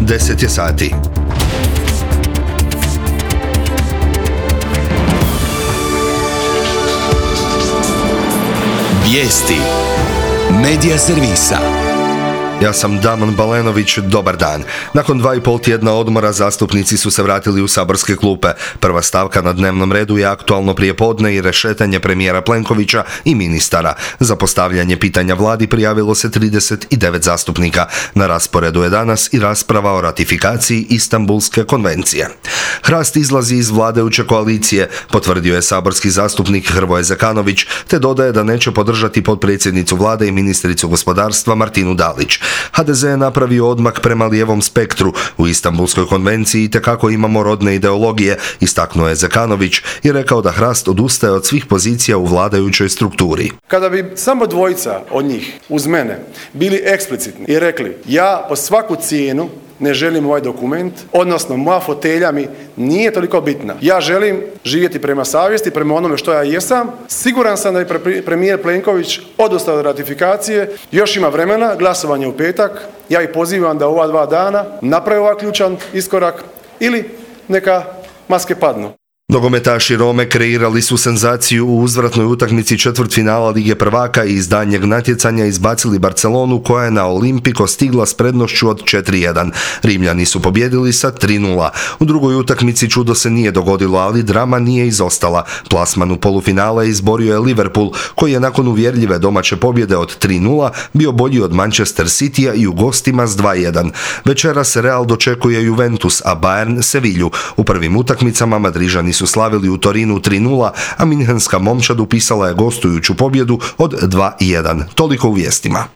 10 je sati. Vijesti Medija servisa. Ja sam Damon Balenović, dobar dan. Nakon 2,5 tjedna odmora zastupnici su se vratili u saborske klupe. Prva stavka na dnevnom redu je aktualno prijepodne i rešetanje premijera Plenkovića i ministara. Za postavljanje pitanja vladi prijavilo se 39 zastupnika. Na rasporedu je danas i rasprava o ratifikaciji Istanbulske konvencije. Hrast izlazi iz vladajuće koalicije, potvrdio je saborski zastupnik Hrvoje Zekanović, te dodaje da neće podržati potpredsjednicu vlade i ministricu gospodarstva Martinu Dalić. HDZ je napravio odmak prema lijevom spektru. U Istanbulskoj konvenciji itekako imamo rodne ideologije, istaknuo je Zekanović i rekao da Hrast odustaje od svih pozicija u vladajućoj strukturi. Kada bi samo dvojica od njih uz mene bili eksplicitni i rekli ja po svaku cijenu ne želim ovaj dokument, odnosno moja fotelja mi nije toliko bitna. Ja želim živjeti prema savjesti, prema onome što ja jesam. Siguran sam da je premijer Plenković odustao od ratifikacije. Još ima vremena, glasovanje u petak. Ja ih pozivam da ova 2 dana naprave ovaj ključan iskorak ili neka maske padnu. Nogometaši Rome kreirali su senzaciju u uzvratnoj utakmici četvrtfinala Lige prvaka i iz daljnjeg natjecanja izbacili Barcelonu koja je na Olimpiko stigla s prednošću od 4:1. Rimljani su pobjedili sa 3:0. U drugoj utakmici čudo se nije dogodilo, ali drama nije izostala. Plasman u polufinale izborio je Liverpool, koji je nakon uvjerljive domaće pobjede od 3:0 bio bolji od Manchester Citya i u gostima s 2:1. Večeras Real dočekuje Juventus, a Bayern Sevilju. U prvim utakmicama Madrižani su slavili u Torinu 3:0, a minhenska momčad upisala je gostujuću pobjedu od 2:1. Toliko u vijestima.